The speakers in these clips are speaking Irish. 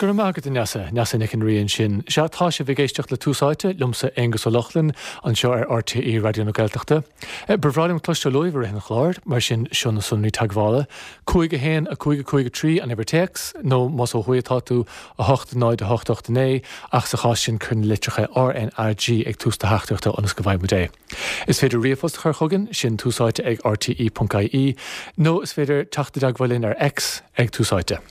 Go raibh maith agat, a Neasa. Neasa Nic an Rí ansin. Sea, tá sibh ag éisteacht le Tús Áite, liomsa, Aengus Ó Lochlainn, anseo ar RTÉ Raidió na Gaeltachta. Ba bhreá liom cloisteáil uaibh i rith an chláir, mar sin seo na sonraí teagmhála, 5 1 5 5 3 an uimhir téacs, nó más ó thuaidh atá tú, 8 0 8 8 9, ach sa chás sin cuir na litreacha RnaG ag tús do theachtaireachta ionas go bhfaighidh muid é. Is féidir ríomhphost a chur chugainn, sin túsáite ag rte.ie, nó is féidir teacht i dteagmháil linn ar X ag Tús Áite.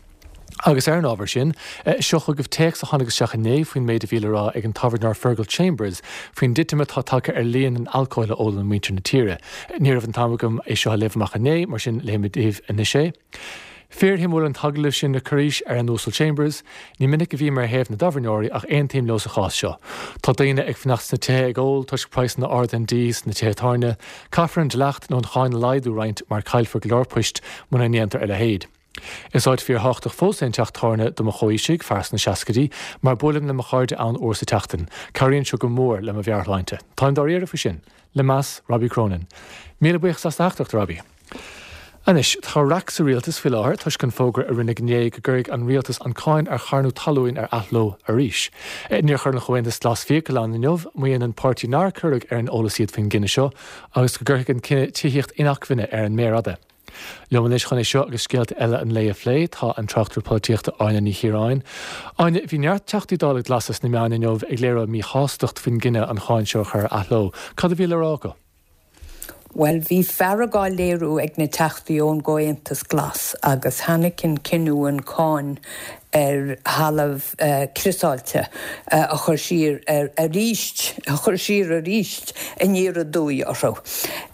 Agus ar an ábhar sin, seo chugaibh téacs a tháinig isteach inné faoin méid a bhí le rá ag an tábhairneoir Fergal Chambers faoin dtitim atá tagtha ar líon an alcóil a ólann muintir na tíre. Ní raibh an t-am agam é seo a léamh amach inné, mar sin léifidh mé daoibh anois é. Fíorshuimiúil an t-agallamh sin le Corís ar an Uasal Chambers. Ní minic a bhím ar thaobh na dtábhairneoirí ach aontaím leo sa chás seo. Tá daoine ag fanacht sna tithe ag ól toisc praghsanna arda an dí sna tithe tábhairne. Caithfear an dleacht nó an cháin a laghdú roinnt mar caillfear go leor poist muna ndéantar a leithéid. Is áit fíorthábhachtach fós é an teach tábhairne do mo chomhaoisigh, fear sna seascaidí, mar buailim le mo chairde ann uair sa tseachtain. Cabhraíonn seo go mór le mo mheabhairshláinte. Táim dáiríre faoi sin. Le meas, Robbie Cronin. Míle buíochas as do theachtaireacht, a Robbie. Anois, tá raic sa rialtas faoi láthair toisc an fógra a rinneadh inné go gcuirfidh an rialtas an cáin ar charnú talúin ar athló arís. Níor chuir an Chomhaontas Glas fiacail ann inniu, maíonn an páirtí nár cuireadh ar an eolas iad faoin gcinneadh seo agus go gcuirfidh an cinneadh tithíocht inacmhainne ar an méar fhada. Liom anois chun é seo agus scéalta eile an lae a phlé tá an tráchtaire polaitíochta Áine Ní Chiaráin. Áine, bhí neart Teachtaí Dála Glasa sna meáin inniu ag léiriú a míshástacht faoin gcinneadh an cháin seo a chur ar athló. Cad a bhí le rá acu? Bhuel, bhí fearg á léiriú ag na Teachtaí ón gComhaontas Glas agus tháinig an cinneadh an cáin ar thalamh criosáilte a chur siar arís, a chur siar arís aniar aduaidh orthu.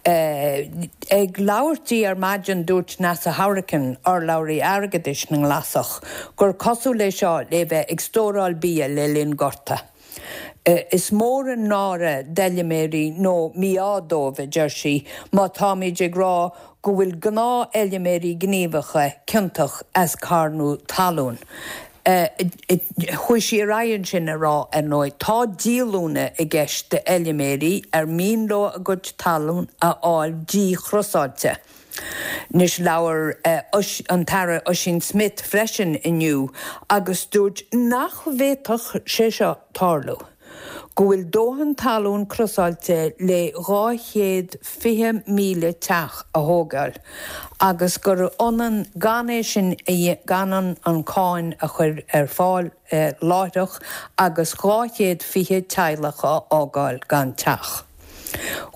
Ag labhairt di ar maidin dúirt Neasa Hourican, urlabhraí airgeadais na nGlasach, gur cosúil é seo le bheith ag stóráil bia le linn gorta. Is mór an náire d'fheilméaraí nó mí-ádh dóibh, a deir sí, má táimid ag rá go bhfuil gnáthfheilméaraí gníomhacha ciontach as carnú talún. Chuaigh sí ar aghaidh ansin a rá, ar ndóigh, tá díolúine i gceist d'fheilméaraí ar mian leo a gcuid talún a fháil díchriosáilte. Anois labhair an tAire Ossian Smyth freisin inniu agus dúirt nach bhféadfadh sé seo tarlú, go bhfuil dóthain talún criosáilte le 220,000 teach a thógáil agus gur ionann gan é sin gan an cáin a chur ar fáil láithreach agus 220 teaghlach a fhágáil gan teach.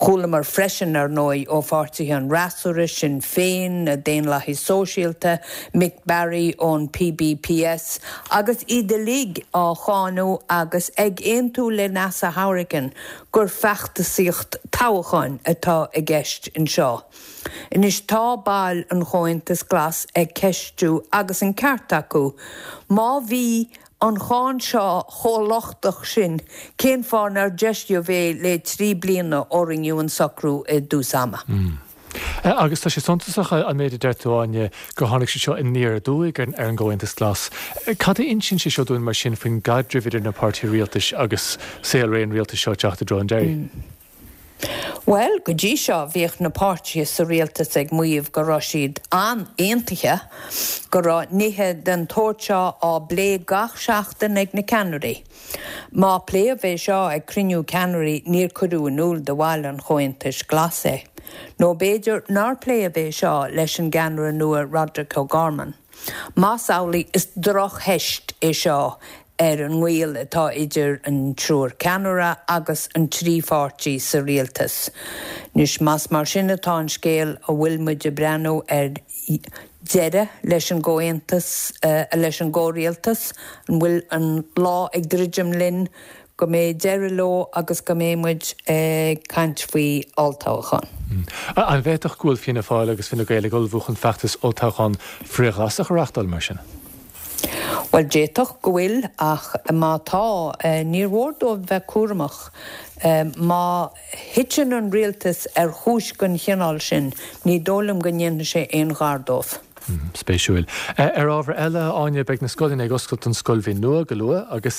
Chualamar freisin, ar ndóigh, ó pháirtithe an fhreasúra, Sinn Féin, na Daonlathaigh Sóisialta, Mick Barry ón PBPS, agus iad uilig á cháineadh agus ag aontú le Neasa Hourican gur feachtasaíocht toghcháin atá i gceist anseo. Anois tá baill an Chomhaontais Glas ag ceistiú, agus an ceart acu, má bhí an cháin seo chomh lochtach sin, cén fáth nár deisíodh é le 3 bliana ó rinneadh an socrú i dtús ama? Agus tá sé suntasach an méid a deir tú, Áine, gur tháinig sé seo aniar aduaidh ar an gComhaontas Glas. Cad a insíonn sé seo dúinn mar sin faoin gcaidreamh idir na páirtithe rialtais agus saolré an rialtais seo ag teacht i dtreo an deiridh? Bhuel, go dtí seo bhíodh na páirtithe sa rialtas ag maíomh go raibh siad an-aontaithe, go raibh nithe den tsórt seo á bplé gach seachtain ag na ceannairí. Má pléadh é seo ag cruinniú ceannairí níor cuireadh in iúl do bhaill an Chomhaontais Ghlais é. Nó b'fhéidir nár pléadh é seo leis an gceannaire nua Roderic O'Gorman. Más amhlaidh, is drochtheist é seo ar an ngaol atá idir an triúr ceannaire agus an trí pháirtí sa rialtas. Anois, más mar sin atá an scéal, an bhfuil muid ag breathnú ar deireadh leis an gcomhaontas, leis an gcomhrialtas? An bhfuil an lá ag druidim linn go mbeidh deireadh leo agus go mbeidh muid ag caint faoi olltoghchán. An bhféadfadh go bhfuil Fianna Fáil agus Fine Gael ag ullmhú chun feachtas olltoghchán frith-Ghlasach a reáchtáil, mar sin? Bhuel, d'fhéadfadh go bhfuil, ach má tá, níor mhór dóibh bheith cúramach. Má thiteann an rialtas ar chúis den chineál sin, ní dóigh liom go ndéanfaidh sé aon ghar dóibh. Spéisiúil. Ar ábhar eile, a Áine, beidh na scoileanna ag oscailt don scoilbhliain nua go luath agus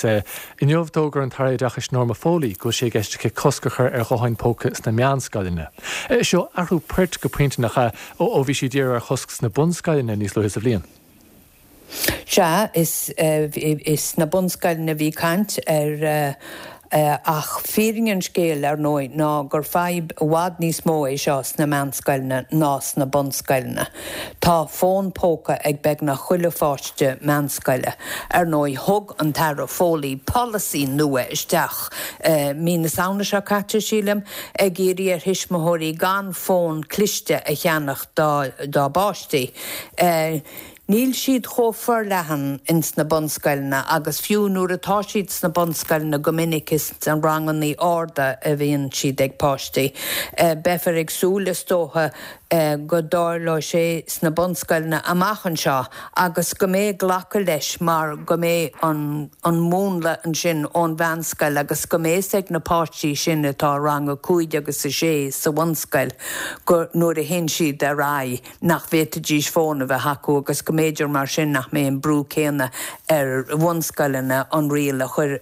inniu d'fhógair an tAire Oideachais Norma Foley go bhfuil sé i gceist aici cosc a chur ar ghutháin póca sna meánscoileanna. Seo athrú poirt go pointe nach ea ó bhí sí ag iarraidh ar chosc sna bunscoileanna níos luaithe sa bhliain. Sea, is sna bunscoileanna a bhí caint ar ach fírinne an scéil, ar ndóigh, ná gur fadhb i bhfad níos mó é seo sna meánscoileanna ná sna bunscoileanna. Tá fón póca ag beagnach chuile pháiste meánscoile. Ar ndóigh, thug an tAire Foley polasaí nua isteach mí na Samhna seo caite, sílim, ag iarraidh ar thuismitheoirí gan fón cliste a cheannach dá bpáistí. Níl siad chomh forleathan ins na bunscoileanna agus fiú nuair atá siad sna bunscoileanna go minic is sna rangannaí arda a bhíonn siad ag páistí. Beifear ag súil is dócha go dtarlóidh sé sna bunscoileanna amach anseo agus go mbeidh glacadh leis mar go mbeidh an an múnla ansin ón mheánscoil agus go mbeidh fhios ag na páistí sin atá i rang a cúig agus a sé sa bhunscoil go nuair a théann siad ar aghaidh nach bhféadfaidís fón a bheith acu agus go mb'fhéidir mar sin nach mbeidh an brú céanna ar bhunscoileanna an riail a chur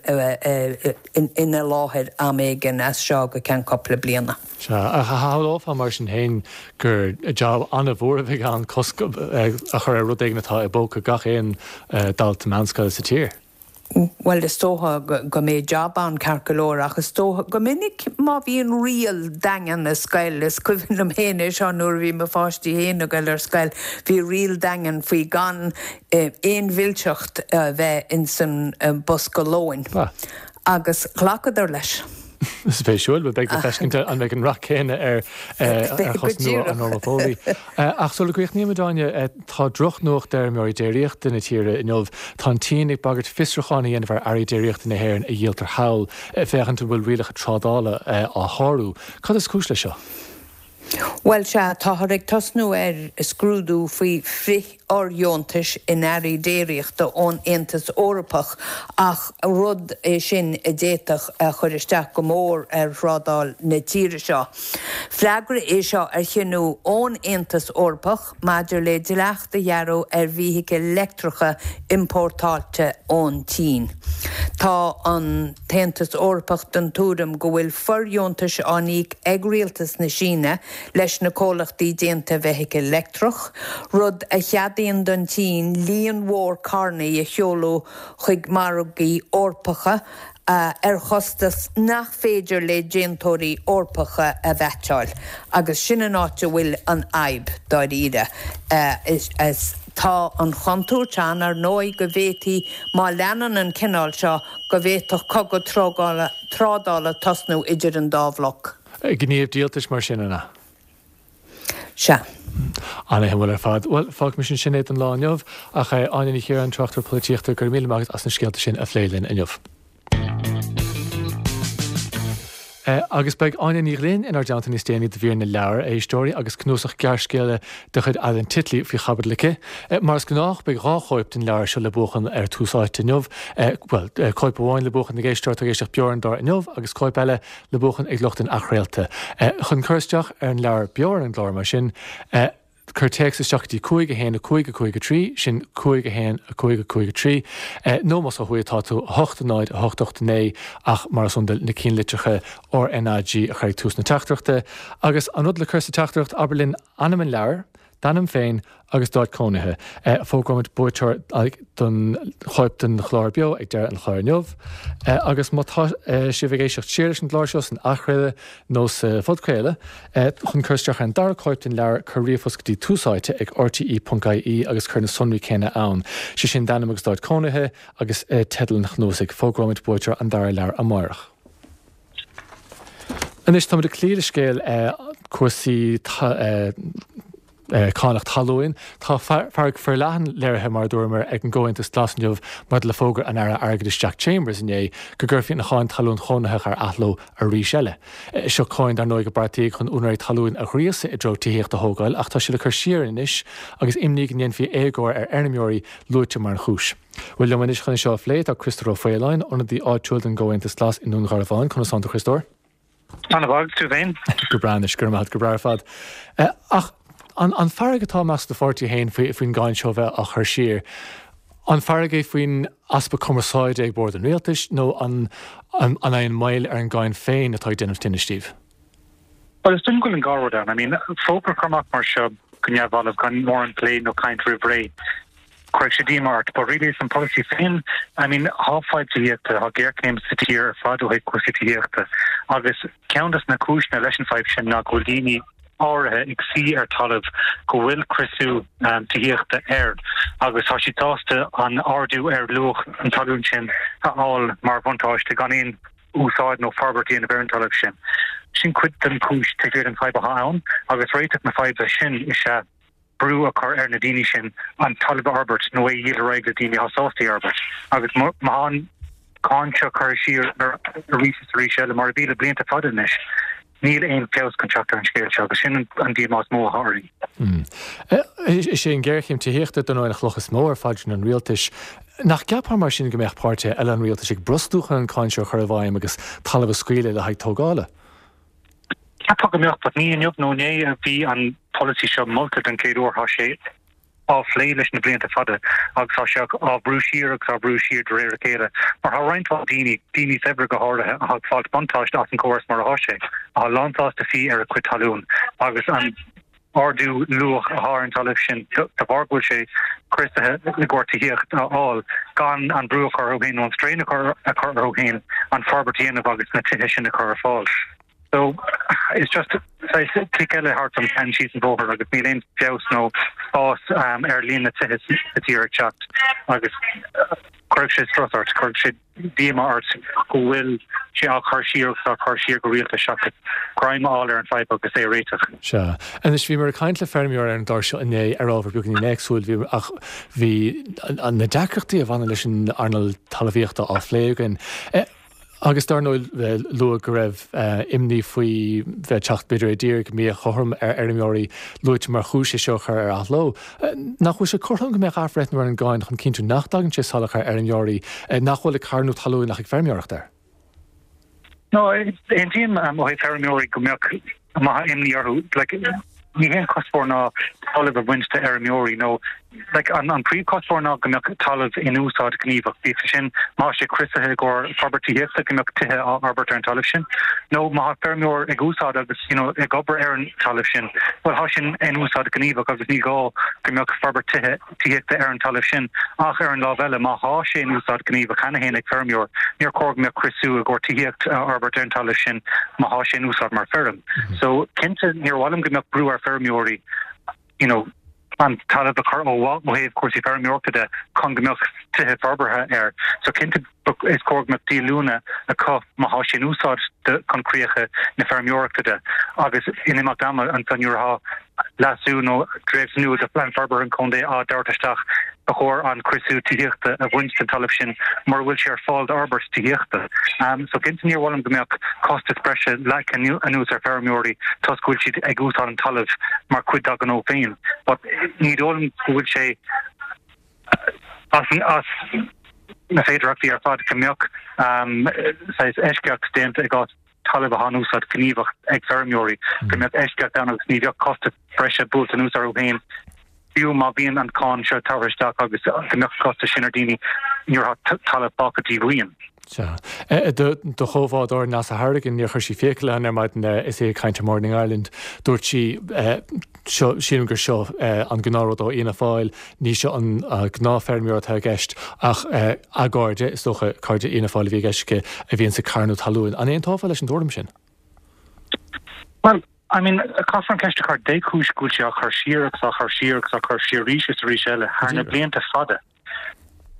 ina láthair am éigin as seo go ceann cúpla bliana. Sea, ach shamhlófá mar sin féin gur jab an-mhór a bheidh ann cosc a chur ar rud éigin atá i bpóca gach aon dalta meánscoile sa tír. Bhuel, is dócha go mbeidh jab ann ceart go leor ach is dócha, go minic má bhíonn riail daingean i scoil, is cuimhin liom féin é seo nuair a bhí mo pháistí féin ag goil ar scoil, bhí riail daingean faoi gan aon mhilseacht a bheith ins an bosca lóin agus ghlacadar leis. Spéisiúil, bhuel beidh le feiscint an mbeidh an rath céanna ar chosc nua an Norma Foley. Ach sula gcríochnaímid, Áine, tá drochnuacht d'fheirmeoirí déiríochta na tíre inniu. Tá an tSín ag bagairt fiosrúchán a dhéanamh ar earraí déiríochta na hÉireann a dhíoltar thall, féachaint an bhfuil rialacha trádála á shárú. Cad is cúis leis seo? Bhuel, sea, táthar ag tosnú ar scrúdú faoi frith-fhordheontais in earraí déiríochta ón Aontas Eorpach ach rud é sin a d'fhéadfadh a chur isteach go mór ar thrádáil na tíre seo. Freagra é seo ar chinneadh ón Aontas Eorpach maidir le dleacht a ghearradh ar bhfeithiclí leictreacha iompórtáilte ón tSín. Tá an tAontas Eorpach den tuairim go bhfuil fordheontais á n-íoc ag rialtas na Síne leis na comhlachtaí déanta feithicil leictreach, rud a cheadaíonn don tSín líon mhór carrannaí a sheoladh chuig margaí Eorpacha ar chostas nach féidir le déantóirí Eorpacha a mheaitseáil. Agus sin an áit a bhfuil an fhadhb, dáiríre. Is tá an chontúirt ann, ar ndóigh, go bhféadfaí, má leanann an cineál seo, go bhféadfadh cogadh trádála tosnú idir an dá bhloc. Gníomh díoltais mar sin, an ea? Sea. Ana-shuimiúil ar fad. Bhuel, fágfaimis ansin é don lá inniu. Ach Áine Ní Chiaráin, tráchtaire polaitíochta, go raibh míle maith agat as na scéalta sin a phlé linn inniu. Agus beidh Áine Ní Ghlinn inár dteannta níos déanaí do mhír na leabhar, a éisteoirí, agus cnuasach gearrscéalta de chuid Alan Titley faoi chaibidil aici. Mar is gnách, beidh 2 chóip den leabhar seo le buachan ar Tús Áite inniu, bhuel, cóip amháin le buachan ag éisteoir atá ag éisteacht beo ar an gclár inniu agus cóip eile le buachan ag lucht an athchraolta. Chun cur isteach ar an leabhar beo ar an gclár, mar sin, cuir téacs isteach go dtí 5 1 5 5 3, sin 5 1 5 5 3, nó más ó thuaidh atá tú, 8 0 8 8 9, ach mar is iondúil, na cinnlitreacha RnaG a chur ag tús na teachtaireachta. Agus an rud le cur sa teachtaireacht, abair linn ainm an leabhair, d'ainm féin agus d'áit cónaithe. Fógróimid buaiteoir don chóip den chlár beo ag deireadh an chláir inniu. Agus má tá sibh ag éisteacht siar leis an gclár seo san athchraoladh nó sa phodchraoladh, chun cur isteach ar an dara cóip den leabhar, cuir ríomhphost go dtí túsáite ag rte.ie agus cuir na sonraí céanna ann, sé sin d'ainm agus d'áit cónaithe agus teideal an chnuasaigh. Fógróimid buaiteoir an dara leabhar amárach. Anois táimid ag cloí le scéal cúrsaí cánach talún. Tá fearg forleathan léirithe, mar a dúramar, ag an gComhaontas Glas inniu maidir le fógra an Aire Airgeadais Jack Chambers inné go gcuirfí an cháin talún chónaitheach ar athló arís eile. Seo cáin, dar ndóigh, a beartaíodh chun úinéirí talún a ghríosadh i dtreo tithíocht a thógáil ach tá sé le cur siar anois agus imní go ndéanfaí éagóir ar fheirmeoirí luaite mar an chúis. Bhuel, liom anois chun é seo a phlé tá Criostóir Ó Faoláin, ionadaí áitiúil don gComhaontas Glas i nDún Garbhán. Conas tánn tú, a Chriostóir? Ana-mhaith, agus tú féin? Go breá anois, go raibh maith agat, go breá ar fad. Ach an fearg atá i measc do pháirtí féin faoin gcáin seo a bheith á chur siar, an fearg é faoin easpa cumarsáide ag bord an rialtais nó an é an moill ar an gcáin féin atá ag déanamh tinnis daoibh? Bhuel, is dóigh go bhfuil an dá rud ann. I mean, fógra a chur amach mar seo go neamhbhalbh gan mórán plé nó caint roimh ré. Cuirfidh sé díomá ort, but really is an polasaí féin, I mean, thá fadhb tithíochta, thá géarchéim sa tír ar fad ó thaobh cúrsaí tithíochta agus ceann des na cúiseanna leis an fadhb sin ná go bhfuil daoine áirithe ag suí ar talamh go bhfuil criosú tithíochta air agus tá siad sásta an ardú ar luach an talún sin a fháil mar bhuntáiste gan aon úsáid nó forbairt a dhéanamh ar an talamh sin. Sin cuid den chúis taobh thiar den fadhb atá ann agus réiteach na faidhbe sin is ea brú a chur ar na daoine sin an talamh a fhorbairt nó é a dhíol ar aghaidh le daoine atá sásta é a fhorbairt. Agus má tá an cáin seo curtha siar arís is arís eile, mar a bhí le blianta fada anois, níl aon feabhas chun teacht ar an scéal seo agus sin an díomá is mó atá orainn. Is é an ghéarchéim tithíochta, dar ndóigh, an chloch is mó ar phaidrín an rialtais. Nach gceapfá mar sin go mbeadh páirtithe eile an rialtais ag brostú chun an cáin seo a chur i bhfeidhm agus talamh a scaoileadh le haghaidh tógála? Cheapfá go mbeadh, but ní inniu nó inné a bhí an polasaí seo molta den chéad uair, tá sé á phlé leis na blianta fada agus tá sé á bhrú siar agus á bhrú siar de réir a chéile mar tá roinnt mhaith daoine, daoine saibhre go háirithe, atá ag fáilt buntáiste as an chóras mar atá sé, atá lánsásta suí ar a gcuid talún agus an ardú luach atá ar an talamh sin de bharr go bhfuil sé criosaithe i gcomhair tithíocht a fháil gan an brú a chur orthu féin nó an strain a chur orthu féin an forbairt a dhéanamh agus na tithe sin a chur ar fáil. So it's just saghas cic eile thart an ceann síos an bóthar agus níl aon feabhas nó fás ar líon na tithe sa tír ag teacht agus cuirfidh sé strus ort, cuirfidh sé díomá ort go bhfuil sé á chur siar agus á chur siar go rialta seachas greim a fháil ar an fadhb agus é a réiteach. Sea. Anois, bhíomar ag caint le feirmeoir ar an gclár seo inné ar ábhar beagáinín éagsúil, bhí, ach bhí na deacrachtaí a bhaineann leis an earnáil talmhaíochta á phlé againn. Agus dar ndóigh, luadh go raibh imní faoi bheith ag teacht b'fhéidir i dtír go míchothrom ar fheirmeoirí luaite mar chúis é seo a chur ar athló. Nach bhfuil sé cothrom go mbeadh athbhreithniú ar an gcáin chun cinntiú nach dtagann sé salach ar fheirmeoirí nach bhfuil ag carnadh talún ach ag feirmeoireacht air? No, aontaím ó thaobh feirmeoirí go mbeadh má tá imní orthu, like, ní hé an cuspóir ná talamh a bhaint de fheirmeoirí nó, like, an, an príomhchuspóir ná go mbeadh talamh in úsáid gníomhach, bíodh sé sin má tá sé criosaithe i gcomhair forbairt tithíochta go mbeadh tithe á fhorbairt ar an talamh sin, nó má tá feirmeoir ag úsáid agus, you know, ag obair ar an talamh sin, bhuel, tá sin in úsáid gníomhach agus ní gá go mbeadh forbairt tithe. tithíochta ar an talamh sin, ach ar an lámh eile, má thá sé in úsáid gníomhach cheana féin ag feirmeoir, níor chóir go mbeadh criosú i gcomhair tithíocht a fhorbairt ar an talamh sin má thá sé in úsáid mar feirm. So, cinnte, níor mhaith liom go mbeadh brú ar feirmeoirí, you know, an talamh a chur ó mhaith ó thaobh cúrsaí feirmeoireachta de chun go mbeadh tithe forbartha air. So, cinnte, is cóir go mbeadh díolúine acu má thá sé in úsáid chun críocha na feirmeoireachta de agus in imeacht ama ansan nuair athá leasú nó dréacht nua de Phlean Forbartha an Chontae á dtabhairt isteach ba chóir an criosú tithíochta a bhaint den talamh sin mura bhfuil sé ar fáil d'fhorbairt tithíochta. So cinnte níor mhaith liom go mbeadh costas breise leagtha anuas ar feirmeoirí toisc go bhfuil siad ag úsáid an talaimh mar chuid dá ngnó féin but ní dóigh liom go bhfuil sé As na féidearthachtaí ar fad go mbeadh saghas eisceacht déanta i gcás talamh atá in úsáid gníomhach ag feirmeoirí, go mbeadh eisceacht ann agus ní bheadh costas breise buailte anuas orthu féin, fiú má bhíonn an cáin seo tabhartha isteach agus go mbeadh an costas sin ar daoine nuair atá talamh fágtha díomhaoin. Sea. Do chomhbhádóir Neasa Hourigan, níor chuir sí fiacail ann ar maidin is í ag caint ar Morning Ireland. Dúirt sí, seo, sílim gur seo an gnáthrud ó Fhianna Fáil, ní seo an gnáthfheirmeoir atá i gceist ach a gcairde, is dócha cairde Fhianna Fáil a bhí i gceist aici, a bhíonns ag carnadh talún. An aontófá leis an tuairim sin? Bhuel, I mean, caithfear an ceist a chur, dé cúis go bhfuil sé á chur siar agus á chur siar agus á chur siar arís is arís eile thar na blianta fada?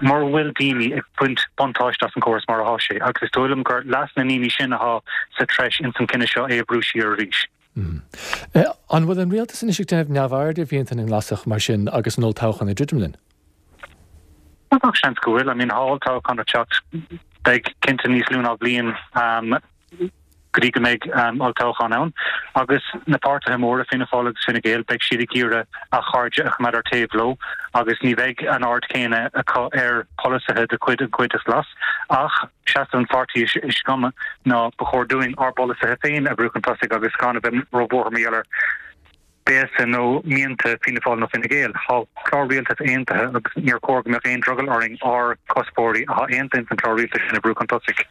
mura bhfuil daoine ag baint buntáiste as an gcóras mar athá sé, agus is dóigh liom gur leas na ndaoine sin athá sa treis ins an cinneadh seo é a bhrú siar arís. An bhfuil an rialtas anois ag déanamh neamhaird ar mhianta na nGlasach mar sin agus an olltoghchán ag druidim linn? Gach seans go bhfuil. I mean, thá olltoghchán ag teacht, beidh cinnte níos lú ná bliain go dtí go mbeidh olltoghchán ann agus na páirtithe móra, Fianna Fáil agus Fine Gael, beidh siad ag iarraidh a chairde a choimeád ar taobh leo agus ní bheidh an aird chéanna acu ar pholasaithe de chuid an Chomhaontais Ghlas. Ach seasamh an pháirtí is cuma ná ba chóir dúinn ár bpolasaithe féin a bhrú chun tosaigh agus gan a bheith róbhuartha mar gheall ar. béasa nó mianta Fianna Fáil nó Fine Gael. Tá clár rialtais aontaithe agus níor chóir go mbeadh aon drogall orainn ár gcuspóirí atá aontaithe ins an clár rialtais sin a bhrú chun tosaigh.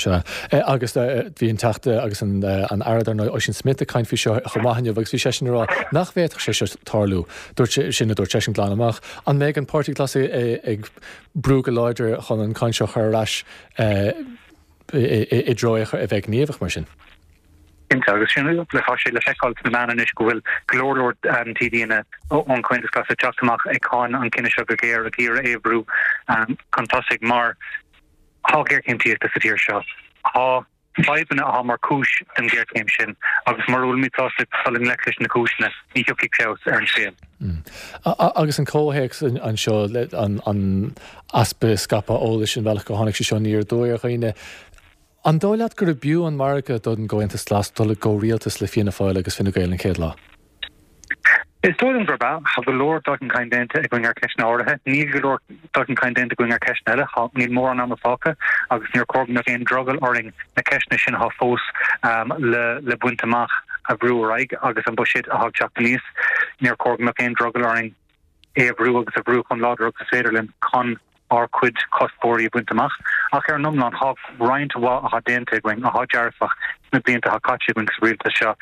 Sea. Agus bhí an Teachta agus an Aire dar ndóigh Ossian Smyth ag caint faoi seo chomh maith inniu agus bhí seisean ag rá nach bhféadfadh sé seo tarlú. Dúirt sé, sin a dúirt seisean glan amach. An mbeidh an Páirtí Glas ag brú go láidir chun an cáin seo a chur ar ais i dtreo é a bheith gníomhach mar sin? Cinnte, agus sin, tá sé le feiceáil sna meáin anois go bhfuil go leor leor TDanna ón Chomhaontas Glas ag teacht amach ag cáineadh an cinneadh seo go géar, ag iarraidh é a bhrú chun tosaigh mar tá géarchéim tithíochta sa tír seo. Tá fadhbanna atá mar chúis den ghéarchéim sin agus mura bhfuilimid sásta dul i ngleic leis na cúiseanna, ní thiocfaidh feabhas ar an scéal. Agus an comhthéacs anseo, an easpa scaipeadh eolais, an bealach gur tháinig sé seo aniar aduaidh ar dhaoine, An dóigh leat gurb fhiú an margadh don gComhaontas Glas dul i gcomhrialtas le Fianna Fáil agus Fine Gael an chéad lá? Is dóigh liom gurb ea. Tá go leor dul chun cinn déanta againn ar cheisteanna áirithe. Níl go leor dul chun cinn déanta againn ar cheisteanna eile. Tá, níl mórán ama fágtha agus níor chóir go mbeadh aon drogall orainn na ceisteanna sin atá fós le le baint amach a bhrú ar aghaidh agus an buiséad atá ag teacht aníos. Níor chóir go mbeadh aon drogall orainn é a bhrú agus a bhrú chomh láidir agus is féidir linn chun ár gcuid cuspóirí a bhaint amach. Ach ar an iomlán, tá roinnt mhaith atá déanta againn atá dearfach sna blianta atá caite againn sa rialtas seo.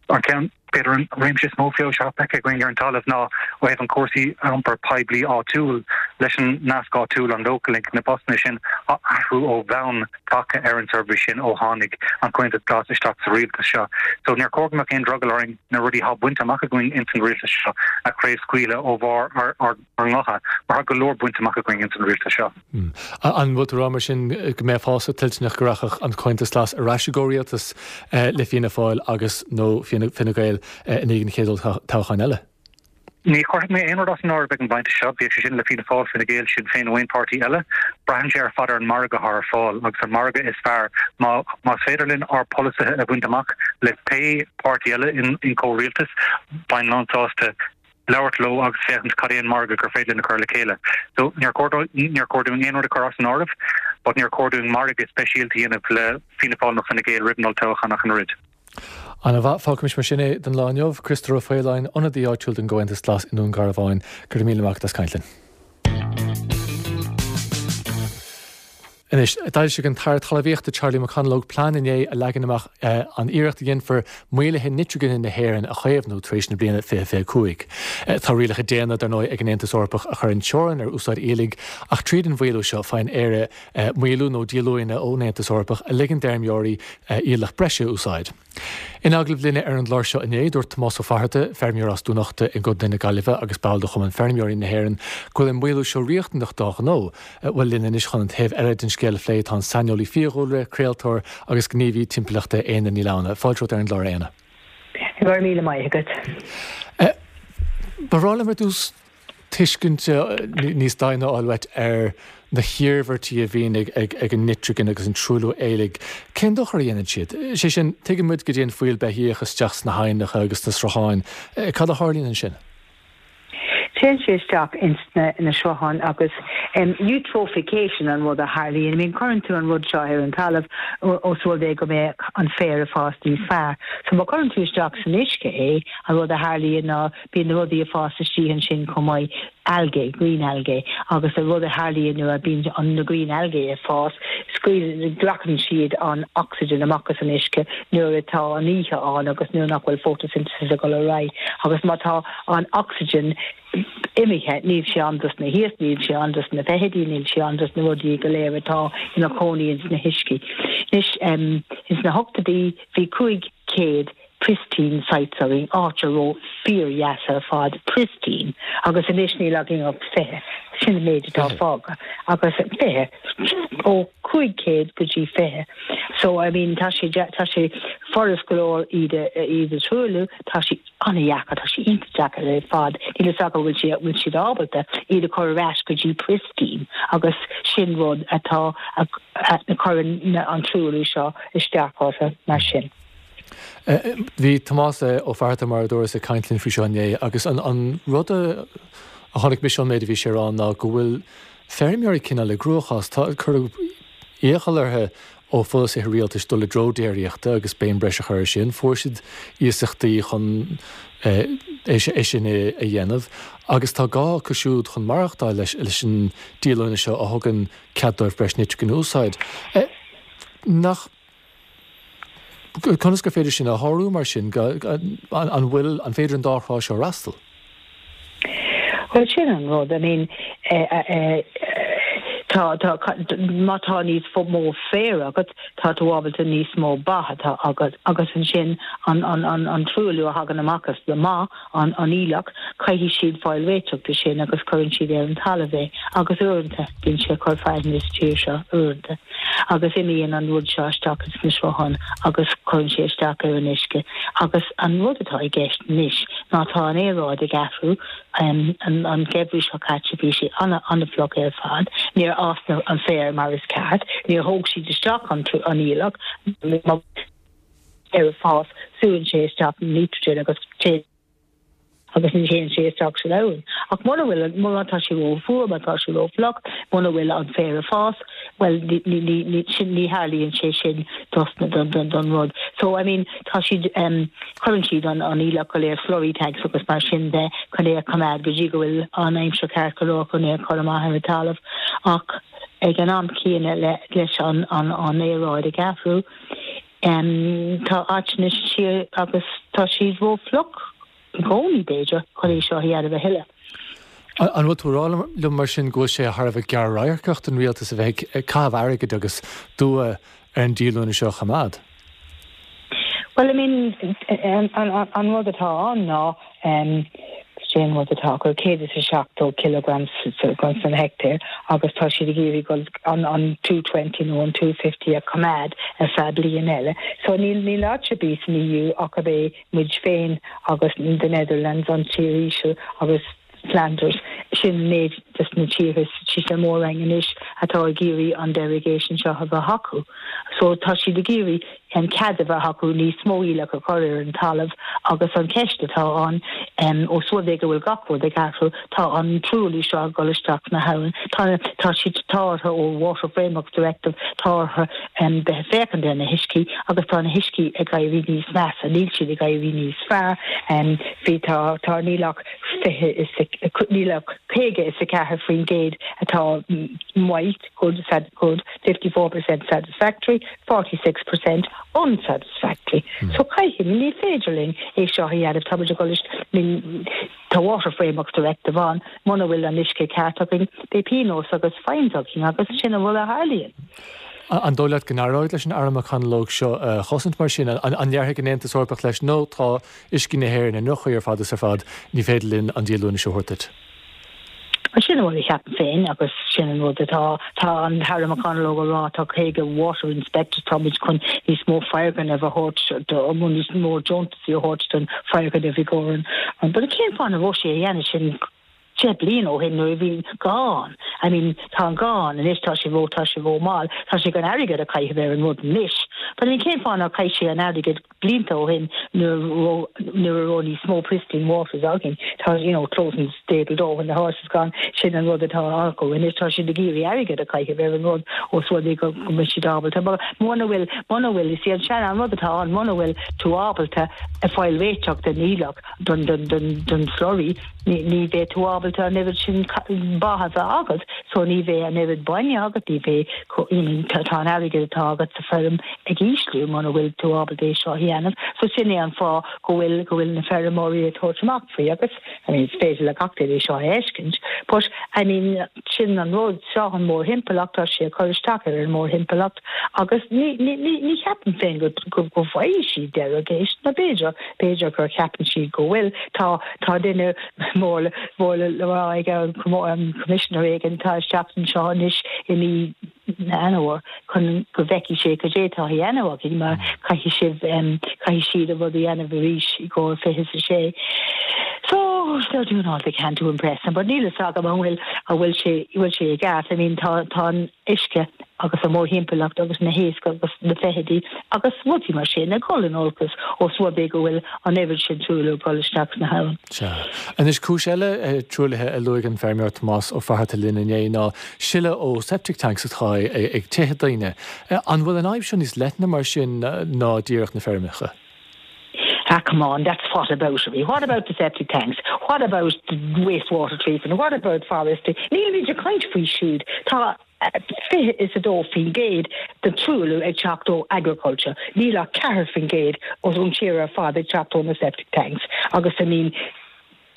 An ceann, b'fhéidir an réimse is mó feabhais atá feicthe againn ar an talamh ná ó thaobh an cúrsaí iompair poiblí áitiúil leis an nasc áitiúil, an Local Link, na busanna sin, tá athrú ó bhonn tagtha ar an seirbhís sin ó tháinig an Comhaontas Glas isteach sa rialtas seo. So níor chóir go mbeadh aon drogall orainn na rudaí atá bainte amach againn ins an rialtas seo a chraobhscaoileadh ó bharr ár ngutha, mar tá go leor bainte amach againn ins an rialtas seo. An bhfuil tú ag rá mar sin go mbeifeása toilteanach go rachadh an Comhaontas Glas ar ais i gcomhrialtas le Fianna Fáil agus, nó Fine Gael i ndiaidh an chéad olltoghcháin eile? Ní chuirfidh mé aon rud as an áireamh ag an bpointe seo, bíodh sé sin le Fianna Fáil, Fine Gael, Sinn Féin nó aon pháirtí eile. Braitheann sé ar fad ar an margadh atá ar fáil agus an margadh is fearr. Má más féidir linn ár bpolasaithe a bhaint amach le pé páirtí eile in comhrialtas, bheinn lánsásta labhairt leo agus féachaint cad é an margadh gur féidir linn a chur le chéile. So níor chóir níor chóir dúinn aon rud a chur as an áireamh, but níor chóir dúinn margadh speisialta a dhéanamh le Fianna Fáil nó Fine Gael roimh an olltoghchán ach an oiread. Ana mhaith. Fágfaimis mar sin é don lá inniu. Criostóir Ó Faoláin, ionadaí áitiúil don gComhaontas Glas i nDún Garbháin, go raibh míle maith agat as caint linn. Anois, d'fhoilsigh an tAire Talmhaíochta Charlie McConalogue plean inné a leagann amach an iarracht a dhéanfar maoluithe nitrigine na hÉireann a chaomhnú tar éis na bliana 2025. Tá rialacha déine, dar ndóigh, ag an Aontas Eorpach a chuireann teorainn ar úsáid aoiligh ach tríd an mhaolú seo faigheann Éire maolú nó díolúine ón Aontas Eorpach a ligeann d'fheirmeoirí aoileach breise a úsáid. In agallamh linne ar an gclár seo inné, dúirt Tomás Ó Fatharta, feirmeoir as Dún Uchta i gContae na Gaillimhe agus ball de Chumann Feirmeoirí na hÉireann, go bhfuil an maolú seo riachtanach dá ghnó. Bhuel, linn anois chun an taobh eile den scéal a phlé tá an saineolaí fiadhúlra, craoltóir agus gníomhaí timpeallachta Éanna Ní Lamhna. Fáilte romhat ar an gclár, a Éanna. Go raibh míle maith agat. Ba bhreá liom ar dtús tuiscint níos doimhne a fháil uait ar na hiarmhairtí a bhíonn ag an nitrigin agus an truailliú aoiligh. Cén dochar a dhéanann siad? Sé sin, tuigeann muid go dtéann fuíoll beithíoch isteach sna haibhneacha agus sna srutháin. Cad a tharlaíonn ansin? Téann sé isteach ins na srutháin agus eutrophication an rud a tharlaíonn. I mean, cuireann tú an rud seo ar an talamh os rud é go mbeadh an féar ag fás níos fearr. So má chuireann tú isteach san uisce é, an rud a tharlaíonn ná Bíonn na rudaí ag fás istigh ansin chomh maith, algae, green algae, agus an rud a tharlaíonn nuair a bíonn an na green algae ag fás, scaoileann, glacann siad an oxygen amach as an uisce nuair atá an oíche ann agus nuair nach bhfuil photosynthesis ag dul ar aghaidh. Agus má tá an oxygen imithe, níl sé ann dos na hiasc, níl sé ann dos na feithidí, níl sé ann dos na rudaí go léir atá ina chónaí ins na huiscí. Anois, ins na hochtóidí bhí 500 pristine sites againn, áit a raibh fíor-dheas ar fad, pristine, agus anois níl againn ach 20, sin an méid atá fágtha, agus 20, ó 500 go dtí 20. So, I mean, tá sé, tá sé furast go leor iad a, iad a thruailliú, tá sé an-dheacair, tá sé iontach deacair ar fad, níl fhios agam bhfuil siad, bhfuil siad ábalta iad a chur ar ais go dtí pristine, agus sin rud atá, a, a chuireann an truailliú seo isteach orthu, mar sin. Bhí Tomás Ó Fatharta, mar a dúras, ag caint linn faoi seo inné agus an rud a chonaic mise ón méid a bhí sé a rá ná go bhfuil feirmeoirí cineál i gcruachás. Tá, cuireadh iachall orthu ó pholasaithe rialtais dul i dtreo déiríochta agus béim breise a chur air sin. Fuair siad iasachtaí chun. é sin a dhéanamh agus tá gá acu siúd chun maireachtáil leis an díolúine seo a thugann cead dóibh breis nitrigine a úsáid. Nach. Conas gur féidir sin a shárú mar sin? An bhfuil, an féidir an dá thrá seo a fhreastal? Bhuel, sin an rud. I mean, tá, tá, má tá níos mó féir agat, tá tú ábalta níos mó ba atá agat agus ansin an, an, an, an truailliú a thagann amach as na mba, an, an aoileach, caithfidh siad fáil réiteach de sin agus cuireann siad ar an talamh é agus uaireanta bíonn sé ag cur fearthainne sa tír seo, uaireanta, agus imíonn an rud seo isteach ins na srutháin agus cuireann sé isteach ar an uisce agus an rud atá i gceist anois ná tá an aeráid ag athrú, an, an geimhreadh seo caite bhí sé ana, ana-fhliuch ar fad, níor fhás an féar mar is ceart, níor thóg siad isteach an, an aoileach, má. ag fás, súann sé isteach an nitrogen agus téann agus ní théann sé isteach san abhainn. Ach muna bhfuil, má tá sé ró-fhuar, má tá sé ró-fhliuch, muna bhfuil an féar ag fás, bhuel ní, ní, ní, ní, sin, ní tharlaíonn sé sin dos na, don, don, don rud. So, I mean, tá siad, em, cuireann siad an, an aoileach go léir, slurry tanks agus mar sin de, chun é a choimeád go dtí go bhfuil an aimsir ceart go leor chun é a chur amach ar an talamh. Ach ag an am céanna le, leis an, an, an aeráid ag athrú, Tá áiteanna sa tír agus tá siad ró-fhliuch i gcónaí, b'fhéidir, chun é seo a dhéanamh a thuilleadh. An bhfuil tú ag rá liom mar sin go bhfuil sé thar a bheith gearr-radharcach don rialtas a bheith ag caitheamh airgid agus dua ar an díolúine seo a choimeád? Bhuel, I mean, an rud atá ann ná Cén rud atá acu, 170 kilograms san heicteár agus tá siad ag iarraidh dul an an 220 nó an 250 a choimeád ar feadh bliain eile. So níl níl áit ar bith san EU ach ab é muid féin agus the Netherlands, an Tír Íseal agus Flanders, sin an méid des na tíortha sa Mhór-Roinn anois atá ag iarraidh an derogation seo a bheith acu. So tá siad ag iarraidh an cead a bheith acu níos mó aoileach a chur ar an talamh agus an cheist atá ann, ós rud é go bhfuil gach rud ag athrú, tá an truailliú seo ag dul isteach sna habhann, tá, tá siad, tá orthu ó Water Framework Directive, tá orthu bheith ag féachaint ar na huiscí agus tá na huiscí ag éirí níos measa, níl siad ag éirí níos fearr, bhí, tá, tá, níl ach 20 is, níl ach 54% atá maith, good, good, 54% satisfactory, 46% unsatisfactory. So caithfidh, ní féidir linn é seo a dhéanamh, tá muid ag dul I mean, tá Water Frameworks Directive ann, muna bhfuil an uisce ceart againn, beidh pionós agus fines againn agus sin an rud a tharlaíonn. An dóigh leat go n-éireoidh leis an Aire McConalogue seo a chosaint mar sin? An ndéarfaidh an Aontas Eorpach leis, no, tá uiscí na hÉireann i ndroch-chaoi ar fad is ar fad, ní féidir linn an díolúine seo a thabhairt duit? Sin an rud a cheapaim féin agus sin an rud atá, tá an tAire McConalogue ag rá, tá 50 water inspectors, tá muid chun níos mó foirgneamh a thabhairt do, nó níos mó deontasaí a thabhairt don foirgneamh i gcomhair an, but cén fáth nach raibh sé a dhéanamh sin 10 bliain ó shin nuair a bhí gá ann? I mean, tá an gá ann anois, tá sé ró, tá sé ró mall, tá sé chun airgead a chaitheamh ar an rud anois, but I mean cén fáth nár chaith sé an airgead blianta ó shin nuair a raibh nuair a raibh níos mó pristine waters againn. Tá you know closing the stable door when the horse is gone, sin an rud atá acu anois, tá siad ag iarraidh airgead a chaitheamh ar an rud ós rud é go go mbeidh siad ábalta. But muna bhfuil muna bhfuil is é an sean an rud atá ann muna bhfuil tú ábalta a fáil réiteach den aoileach don don don don slurry ní ní bheidh tú ábalta an oiread sin ba a bheith agat so ní bheidh an oiread bainne agat ní bheidh I mean tá an airgead atá agat sa feirm ag ísliú muna bhfuil tú ábalta é seo a dhéanamh. So sin é an fáth go bhfuil go bhfuil na feirmeoirí ag tabhairt amach faoi agus I mean is féidir le gach duine é seo a fheiscint but I mean sin an rud seo an mórthimpeallacht tá sé ag cur isteach ar an mórthimpeallacht agus ní ní ní ní cheapaim féin go go go bhfaighidh siad derogation nó b'fhéidir b'fhéidir gur cheapann siad go bhfuil tá tá duine mór mór le rá ag an commissioner éigin atá isteach anseo anois i mí Eanáir chun go bhfeicfidh sé cad é atá á dhéanamh againn mar caithfidh sibh caithfidh siad an rud a dhéanamh arís i gcomhair 26. So they're doing all they can to impress them but níl a fhios agam an bhfuil an bhfuil sé bhfuil sé i gceart. I mean tá tá an uisce agus an mórthimpeallacht agus na héisc agus na feithidí agus rudaí mar sin ag dul in olcas ós rud é go bhfuil an oiread sin truailliú ag dul isteach sna habhann. Sea. Anois cúis eile truaillithe a luaigh an feirmeoir Tomás Ó Fatharta linn inné ná sileadh ó septic tanks atá ag tithe daoine. An bhfuil an fhadhb seo níos leithne mar sin ná díreach na feirmeacha? Ah come on, that's whataboutery. What about the septic tanks? What about the wastewater treatment? What about forestry? Nílimid ag caint faoi siúd. Tá 22% den truailliú ag teacht ó agriculture. Níl ach 4% ón tír ar fad ag teacht ó na septic tanks. Agus I mean,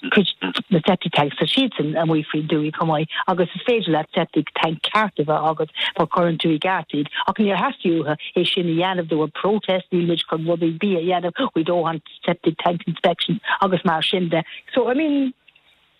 cuid na septic tanks, tá siadsan amuigh faoin dtuaith chomh maith agus is féidir leat septic tank ceart a bheith agat má chuireann tú i gceart iad ach níor theastaigh uathu é sin a dhéanamh, there were protests, níl muid chun rudaí ar bith a dhéanamh, we don't want septic tank inspections agus mar sin de. So, I mean,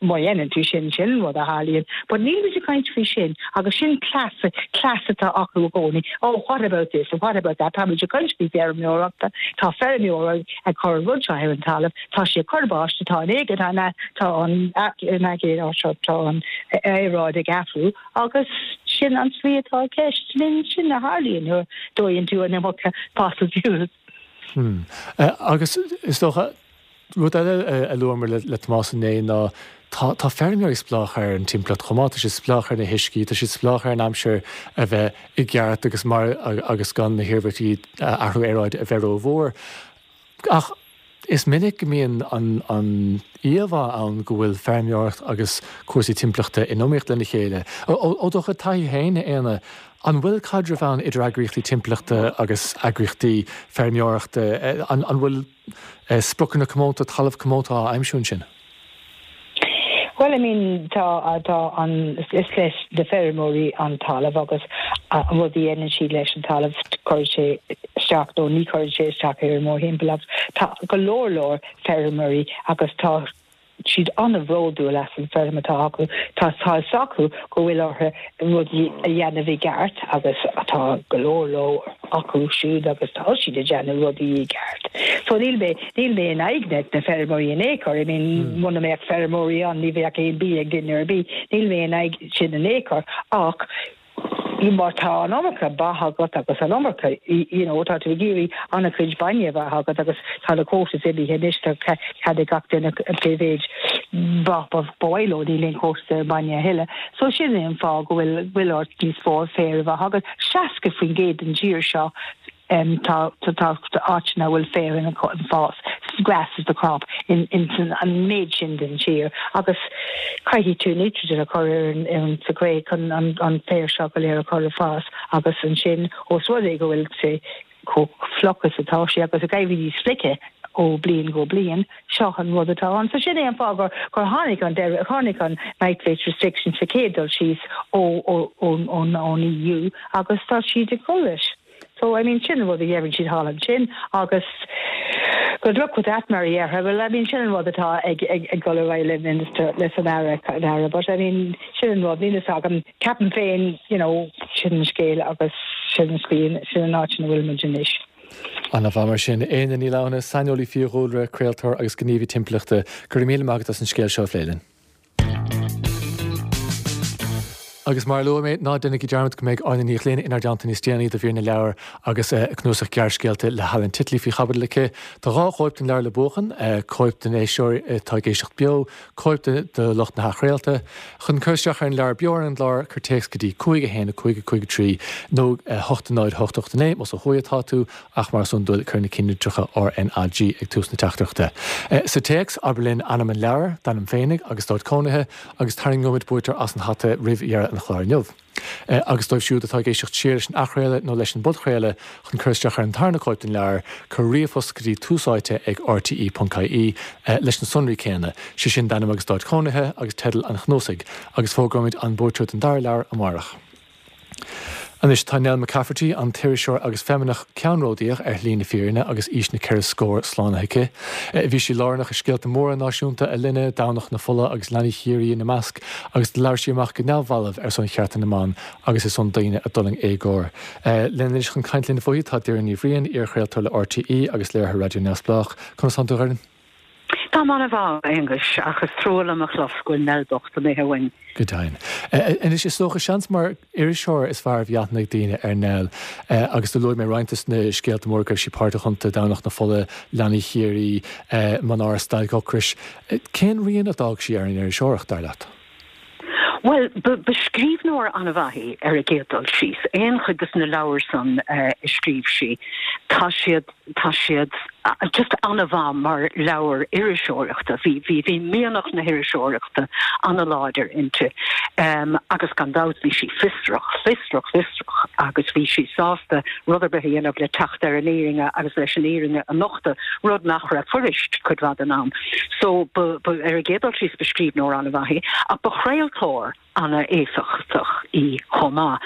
má dhéanann tú sin, sin an rud a tharlaíonn. But níl muid ag caint faoi sin agus sin cleas, cleas atá acu i gcónaí, oh what about this and what about that, tá muid ag caint faoi feirmeoireachta, tá feirmeoir ag cur an rud seo ar an talamh, Tá sé ag cur báistí, tá an éigean, tá tá an aigéan, tá an aeráid ag athrú agus sin an tslí atá i gceist. Sin sin a tharlaíonn nuair a dóigheann tú an iomarca fossil fuels. Hmm. Agus is dócha, rud eile a luamar le Tomás inné ná tá tá feirmeoirí spleách ar an timpeallacht chomh maith, tá siad spleách ar na huiscí, tá siad spleách ar an aimsir a bheith i gceart agus mar agus gan na hiarmhairtí athrú aeráide a bheith rómhór. Ach is minic go mbíonn an íomhá ann go bhfuil feirmeoireacht agus cúrsaí timpeallachta in iomaíocht lena chéile. Ó do chuid taithí féin, a Éanna, an bhfuil caidreamh ann idir eagraíochtaí timpeallachta agus eagraíochtaí feirmeoireachta? An bhfuil spriocanna comónta, talamh comónta á aimsiú ansin? Bhuel, I mean, tá, tá an, is leis na feirmeoirí an talamh agus an rud a dhéanann siad leis an talamh, cuireann sé isteach nó ní chuireann sé isteach ar an mórthimpeallacht. Tá go leor leor feirmeoirí agus tá siad an-bhródúil as an feirm atá acu. Tá tá fhios acu go bhfuil orthu rudaí a dhéanamh i gceart agus tá go leor leor acu siúd agus tá siad ag déanamh rudaí i gceart. So níl mé, níl mé in aghaidh na, na feirmeoirí in aon chor, I mean muna mbeadh feirmeoirí ann ní bheadh aon bia ag duine ar bith, níl mé in aghaidh sin in aon chor ach má tá an iomarca ba agat agus an iomarca, you know, tá tú ag iarraidh an-chuid bainne a bheith agat agus tá na quotas imithe anois, tá cead ag gach duine pé mhéid ba ba mhaith leo, níl aon quotas ar an mbainne a thuilleadh. So sin é an fáth go bhfuil, bhfuil ort níos mó féir a bheith agat. 60% den tír seo tá tá áiteanna a bhfuil féar ina fás, grass is the crop, in an méid sin den tír agus caithfidh tú nitrogen a chur ar an ar an sa gcré chun an an féar seo go léir a chur ag fás agus ansin ós rud é go bhfuil sé chomh fliuch is atá sé agus ag éirí níos fliche ó bliain go bliain, seo an rud atá ann. So sin é an fáth gur gur tháinig an deireadh, tháinig an nitrate restriction sa chéad dul síos ó ó ón ón ón EU agus tá siad ag dul leis. So I mean sin an rud a dheireann siad thall ansin agus good luck with that mar a déarfá. Well I mean sin an rud atá ag ag ag dul ar aghaidh le minister leis an Aire an Aire but I mean sin an rud níl fhios agam ceapaim féin you know sin an scéal agus sin an slí sin an áit ina bhfuil muid anois. Ana-mhaith mar sin. Éanna Ní Lamhna, saineolaí fiadhúlra, craoltóir agus gníomhaí timpeallachta, go raibh míle maith agat as an scéal seo a phlé linn. Agus mar a luaigh mé, ná déanaigí dearmad go mbeidh Áine Ní Ghlinn inár dteannta níos déanaí do mhír na leabhar agus a cnuasach gearrscéalta le hAlan Titley faoi chaibidil aici. Tá 2 chóip den leabhar le buachan, cóip don éisteoir atá ag éisteacht beo, cóip do lucht na hathchraolta. Chun cur isteach ar an leabhar beo ar an gclár, cuir téacs go dtí 5 1 5 5 3 nó 8 0 8 8 9 más ó thuaidh atá tú, ach mar is iondúil, cuir na cinnlitreacha RnaG ag tús na teachtaireachta. Sa téacs, abair linn ainm an leabhair, d'ainm féinig agus d'áit cónaithe, agus tarraingeoimid buaiteoir as an hata roimh dheireadh an chláir inniu. Agus dóibh siúd atá ag éisteacht siar leis an athchraoladh nó leis an bpodchraoladh, chun cur isteach ar an tarna cóip den leabhar, cuir ríomhphost go dtí túsáite ag rte.ie leis na sonraí céanna, sé sin d'ainm agus d'áit chónaithe agus teideal an chnuasaigh, agus fógróimid an buaiteoir don dara leabhar amárach. Anois, tá Nell McCafferty, an t-iriseoir agus feimineach ceannródaíoch, ar shlí na fírinne agus aois na ceithre scór slánaithe aici. Bhí sí lárnach i scéalta móra náisiúnta a linne, Domhnach na Fola agus Leanaí Chiarraí ina measc, agus do labhair sí amach go neamhbhalbh ar son chearta na mban agus ar son daoine a d'fhulaing éagóir. Linn anois chun caint linn fúithi tá Doireann Ní Bhriain, iar-chraoltóir le RTÉ agus léiritheoir raidió neamhspleách. Conas tánn tú, a Dhoireann? Táim an-mhaith, a Aonghuis, ach is trua liom a chlos go bhfuil Nell bocht imithe uainn. Go deimhin. Anois, is dócha, seans mar iriseoir is fearr a bhí aithne ag daoine ar Nell, agus do luaigh mé roinnt de na scéalta móra go raibh sí páirteach iontu, Domhnach na Fola, Leanaí Chiarraí, Mná ar Stailc Ocrais. Cén rian a d'fhág sí ar an iriseoireacht, dar leat? Bhuel, ba scríbhneoir an-mhaith í ar an gcéad dul síos. Aon chuid de na leabhair san a scríobh sí, tá siad, tá siad. Just an-mhaith mar leabhar iriseoireachta. Bhí, bhí, bhí mianach na hiriseoireachta an-láidir inti. Agus gan dabht bhí sí fiosrach, fiosrach, fiosrach agus bhí sí sásta rud ar bith a dhéanamh le teacht ar an fhírinne agus leis an fhírinne a nochtadh, rud nach raibh fuirist cuid mhaith den am. So ba, ba, ar an gcéad dul síos ba scríbhneoir an-mhaith í ach ba chraoltóir an-éifeachtach í chomh maith.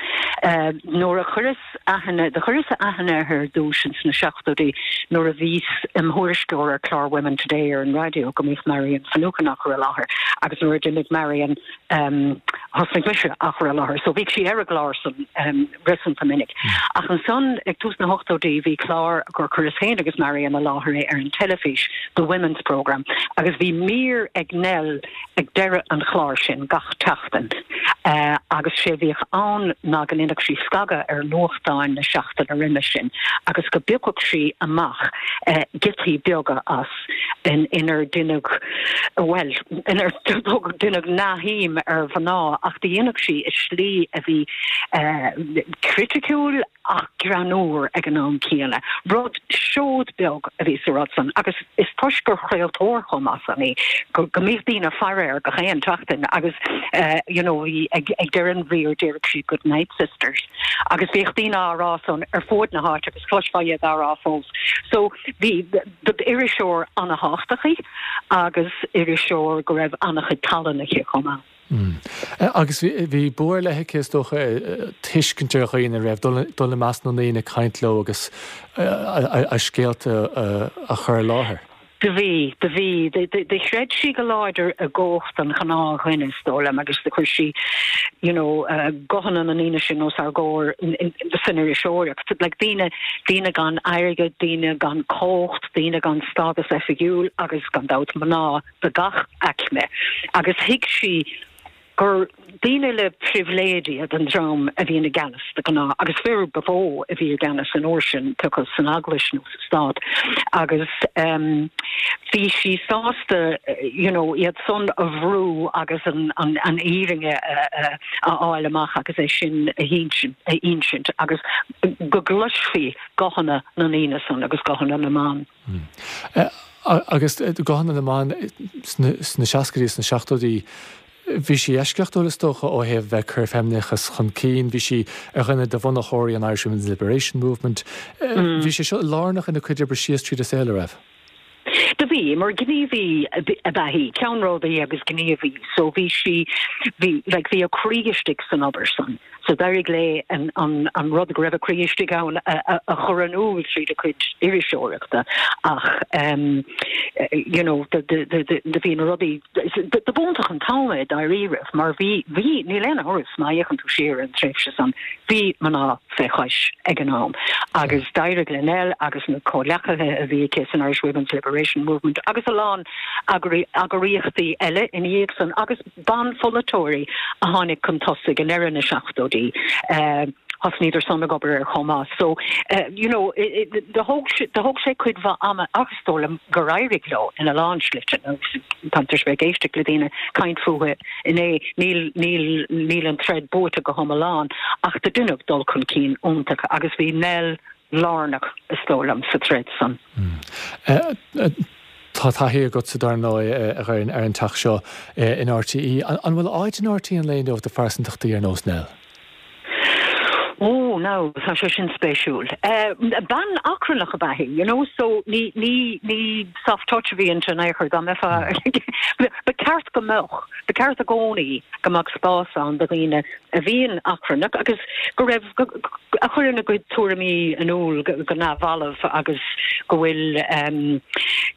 Nuair a chuireas aithne, do chuireas aithne uirthi ar dtús ins na seachtóidí nuair a bhíos im thuairisceoir ar chlár Women Today ar an raidió go mbíodh Marian Finucane á chur i láthair agus nuair a d'imigh Marian thosnaigh mise á chur i láthair. So bhíodh sí ar an gclár san réasúnta minic. Ach ansan ag tús na hochtóidí bhí clár gur chuireas féin agus Marian i láthair é ar an teilifís, The Women's Programme, agus bhí mír ag Nell ag deireadh an chláir sin gach tseachtain agus sé bhíodh ann ná go ndéanfadh sí scagadh ar nuachtáin na seachtaine roimhe sin agus go bpiocfadh sí amach giotaí beaga as inar deineadh, bhuel, inar deineadh neamhshuim ar mhná ach do dhéanadh sí i slí a bhí criticiúil ach greannmhar ag an am céanna. Rud, seod beag a bhí sa rud san agus is toisc gur chraoltóir chomh maith san í go mbíodh daoine ag faire air gach aon tseachtain agus you know bhí ag deireadh an mhír déarfadh sí good night sisters agus bhíodh daoine á rá san ar fuaid na háite agus chloisfeá iad á rá fós. So bhí iriseoir ana-thábhachtach í agus iriseoir go raibh ana-chuid tallann aici chomh maith. Agus bhí bua ar leith aici, is dócha, tuiscint ar dhaoine, raibh, dul i measc na ndaoine, caint leo agus a scéalta a chur i láthair. Do bhí, do bhí. Do chreid sí go láidir i gcumhacht an ghnáthdhuine, is dóigh liom, agus do chuir sí, you know, guthanna na ndaoine sin os ár gcomhair san iriseoireacht. Like daoine, daoine gan airgead, daoine gan cumhacht, daoine gan stádas oifigiúil agus, gan dabht, mná. de gach aicme agus thuig sí gur daoine le pribhléid iad an dream a bhíonn i gceannas de ghnáth agus fir ba mhó a bhí i gceannas an uair sin, pé acu san eaglais nó sa stát agus bhí sí sásta you know iad san a bhrú agus an an an fhírinne a a fháil amach agus é sin a a insint agus go gcloisfí guthanna na ndaoine san agus guthanna na mban. Agus guthanna na mban sna seascaidí is sna seachtóidí, bhí sí eisceachtúil is dócha ó thaobh bheith ag cur feimineachas chun cinn, bhí sí ar dhuine de bhunaitheoirí an Irish Women's Liberation Movement. Bhí sé seo lárnach ina cuid oibre síos tríd a saol, a raibh? Do bhí, mar gníomhaí ab ea í, ceannródaí agus gníomhaí, so bhí sí, bhí, like, bhí a croí istigh san obair san. So d'éirigh léi an rud go raibh a croí istigh ann a chur in iúl tríd a cuid iriseoireachta ach you know do bhí na rudaí do b'iontach an t-am é dáiríribh mar bhí bhí níl aon amhras má fhéachann tú siar ar an tréimhse san bhí mná fé chois ag an am agus d'éirigh le Nell agus na comhghleacaithe a bhí aici san Irish Women's Liberation Movement agus a lán eagraíochtaí eile ina dhiaidh san agus Banpholaiteoirí a tháinig chun tosaigh i ndeireadh na seachtóidí, thosnaíodar san ag obair air chomh maith. So, you know, do thóg do thóg sé cuid mhaith ama ach is dóigh liom gur éirigh leo ina lán slite agus táim tar éis bheith ag éisteacht le daoine caint fúthu inné, níl níl níl an troid buaite go hiomlán ach do deineadh dul chun cinn iontach agus bhí Nell lárnach, is dóigh liom, sa troid san. Tá taithí agatsa, dar ndóigh, a Dhoireann, ar an teach seo in RTÉ. An bhfuil áit in RTÉ an lae inniu do phearsantachtaí ar nós Nell? Ó, now, tá sé sin spéisiúil. Bean achrannach ab ea í, you know, so ní, ní, ní soft touch a bhí inti in aon chor, dá mbeifeá, ba ceart go mbeadh, ba ceart i gcónaí go mbeadh spás ann do dhaoine a bhíonn achrannach agus go raibh, a chuireann a gcuid tuairimí in iúl go neamhbhalbh agus go bhfuil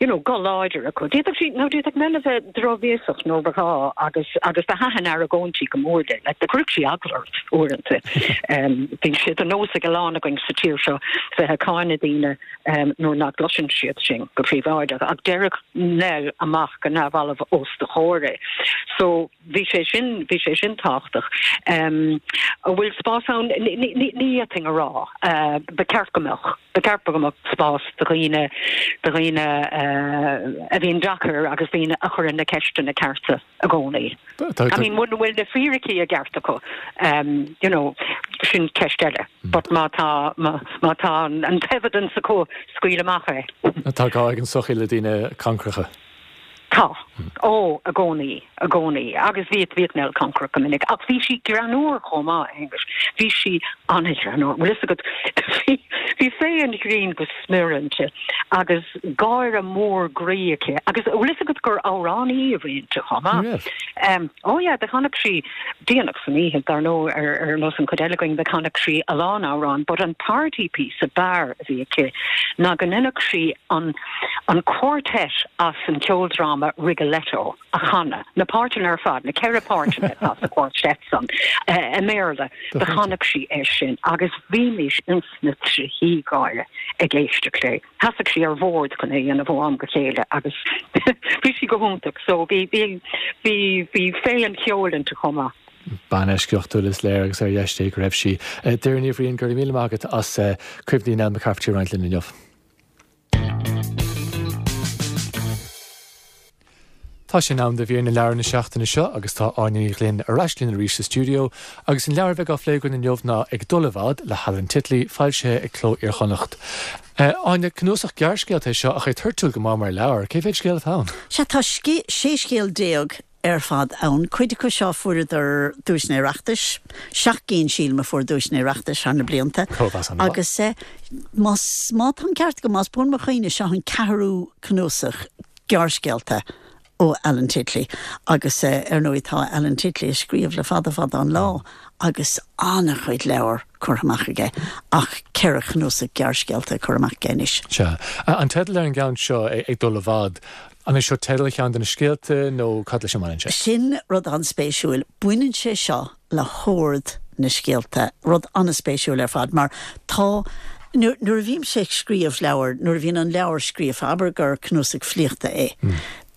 you know guth láidir acu. D'fhéadfadh sí, nó d'fhéadfadh Nell a bheith drochbhéasach nuair ba ghá agus agus do thaitin argóintí go mór léi. Like, do chuirfeadh sí eagla ort uaireanta. Bíonn sé de nós ag a lán againn sa tír seo bheith ag cáineadh daoine nuair nach gcloiseann siad sinn go príobháideach ach déarfadh Nell amach go neamhbhalbh os do chomhair é. So, Bhí sé sin, bhí sé sin tábhachtach. An bhfuil spás ann? Ní fhéadfainn a rá. Ba cheart go mbeadh. Ba cheart go mbeadh spás do dhaoine, do dhaoine a bhíonn deacair agus daoine a chuireann na ceisteanna cearta i gcónaí. I mean, muna bhfuil na fíricí i gceart acu, you know, Sin ceist eile. But má tá, má tá an t-evidence acu, scaoil amach é. Tá gá ag an tsochaí le daoine cancracha. Tá. Ó, i gcónaí, i gcónaí. Agus bhíodh, bhíodh Nell cancrach go minic. Ach bhí sí greannmhar chomh maith, a Aonghuis. Bhí sí an-ghreannmhar. Bhfuil fhios agat, bhí, bhí féith an ghrinn go smior inti agus gáire mór groí aici. Agus bhfuil fhios agat gur amhránaí a bhí inti chomh maith. Ní raibh. Ó yeah, do chanadh sí déanach san oíche, dar ndóigh, ar, ar nós an chuid eile againn, do chanadh sí a lán amhrán, but an party piece ab fhearr a bhí aici ná go ndeineadh sí an, an quartet as an cheoldráma Rigoletto a chanadh, na páirteanna ar fad, na ceithre páirteanna atá sa quartet san, i mBéarla, do chanadh sí é sin agus bhímis ins na trithí gáire ag éisteacht léi. Sheasadh sí ar bhord chun é a dhéanamh ó am go chéile agus bhí sí go hiontach. So bhí, bhí, bhí, bhí féith an cheoil inti chomh maith. Bean eisceachtúil is léir agus ar dheis Dé go raibh sí. Doireann Ní Bhriain, go raibh míle maith agat as cuimhní Nell McCafferty a roinnt linn inniu. Tá sé in am do mhír na leabhar na seachtaine seo agus tá Áine Ní Ghlinn ar ais linn arís sa stiúideo agus an leabhar a bheidh á phlé againn inniu ná Ag Dul i bhFad le hAlan Titley, foilsithe ag Cló Iar-Chonnacht. Áine, cnuasach gearrscéalta é seo ach é toirtiúil go maith mar leabhar. Cé mhéad scéal atá ann? Sea, tá 16 scéal ar fad ann. Cuid acu seo fuaireadar duaiseanna Oireachtais, seacht gcinn sílim a fuair duaiseanna Oireachtais thar na blianta. Agus más, má tá an ceart agam, más buan mo chuimhne, seo an ceathrú cnuasach gearrscéalta ó Alan Titley. Agus ar ndóigh tá Alan Titley ag scríobh le fada fada an lá agus an-chuid leabhar curtha amach aige ach ceithre chnuasach gearrscéalta curtha amach aige anois. Sea. An teideal ar an gceann seo, Ag Dul i bhFad, An é seo teideal cheann de na scéalta nó cad leis a mbaineann sé? Sin rud an-spéisiúil. Baineann sé seo le hord na scéalta, rud an-spéisiúil ar fad, mar tá, nuair a bhímse ag scríobh leabhair, nuair a bhíonn an leabhar scríofa, abair gur cnuasach filíochta é,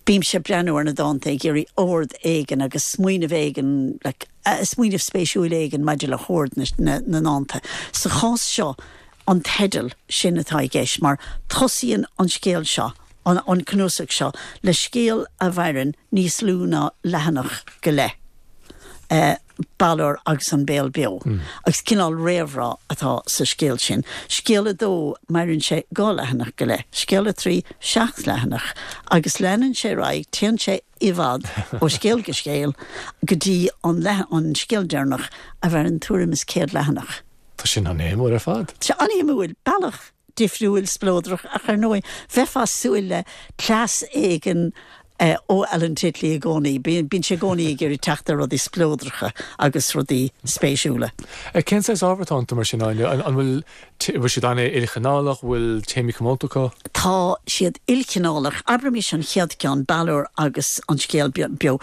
bímse ag breathnú ar na dánta ag iarraidh ord éigin agus smaoineamh éigin, like, smaoineamh spéisiúil éigin maidir le hord na ndánta. Sa chás seo, an teideal, sin atá i gceist, mar tosaíonn an scéal seo, an cnuasach seo, le scéal a mhaireann níos lú ná leathanach go leith, Balor agus an Béal Beo, agus cineál réamhrá atá sa scéal sin. Scéal a dó, maireann sé dhá leathanach go leith, scéal a trí, seacht leathanach, agus leanann sé ar aghaidh, téann sé i bhfad ó scéal go scéal go dtí an an scéal deireanach a mhaireann tuairim is 100 leathanach. Tá sin an-shuimiúil ar fad. Tá sé an-shuimiúil, bealach difriúil, spleodrach, ach ar ndóigh, bheifeá ag súil le cleas éigin ó Alan Titley i gcónaí. Bíonn sé i gcónaí ag iarraidh teacht ar rudaí spleodracha agus rudaí spéisiúla. Cén saghas ábhar atá iontu mar sin, Áine? An bhfuil bhfuil siad an-ilchineálach? Bhfuil téamaí comónta acu? Tá siad ilchineálach. Abraimis an chéad cheann, Balor agus an Scéal Beo.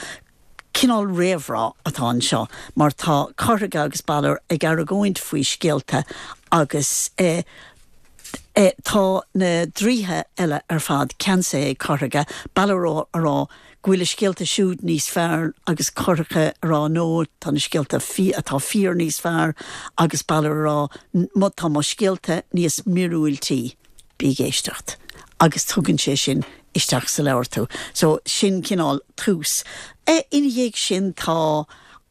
Cineál réamhrá atá anseo mar tá Corthaige agus Balor ag argóint faoi scéalta agus tá na draoithe eile ar fad ceansaithe ag Corthaige, Balor a rá go bhfuil a scéalta siúd níos fearr agus Corthaige a rá no, tá na scéalta atá fíor níos fearr agus Balor a rá tá mo scéalta níos míorúiltí. Bí ag éisteacht. Agus tugann sé sin isteach sa leabhar tú. So, sin cineál tús. Ina dhiaidh sin tá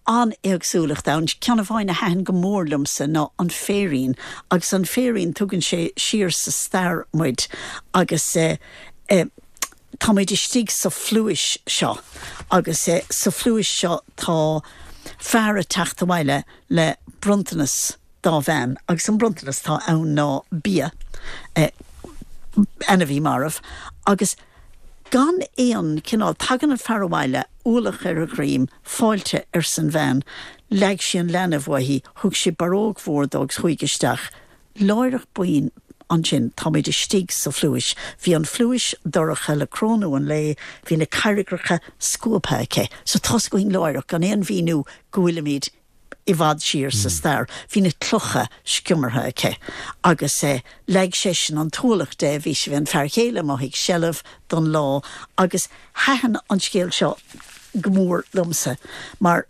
an-éagsúlacht ann. Ceann amháin a thaitin go mór liomsa ná An Féirín. Agus An Féirín, tugann sé siar sa stair muid agus tá muid istigh sa phluais seo agus sa phluais seo tá fear ag teacht abhaile le bronntanas dá bhean agus an bronntanas atá ann ná bia, ainmhí marbh, agus gan aon chineál, tagann an fear abhaile, ualach ar a dhroim, fáilte arsa an bhean, leag sí an leanbh uaithi, thug sí barróg mhór dó agus chuaigh isteach. Láithreach bonn ansin táimid istigh sa phluais. Bhí an phluais dorcha le crónú an lae, bhí na carraigreacha scuabtha aici. So tá's againn láithreach, gan aon mhíniú, go bhfuilimid i bhfad siar sa stair. Bhí na clocha sciomartha aici agus leag seisean an t-ualach de, bhí sé, bhí an fear chéile amuigh ag seilbh don lá agus thaitin an scéal seo go mór liomsa mar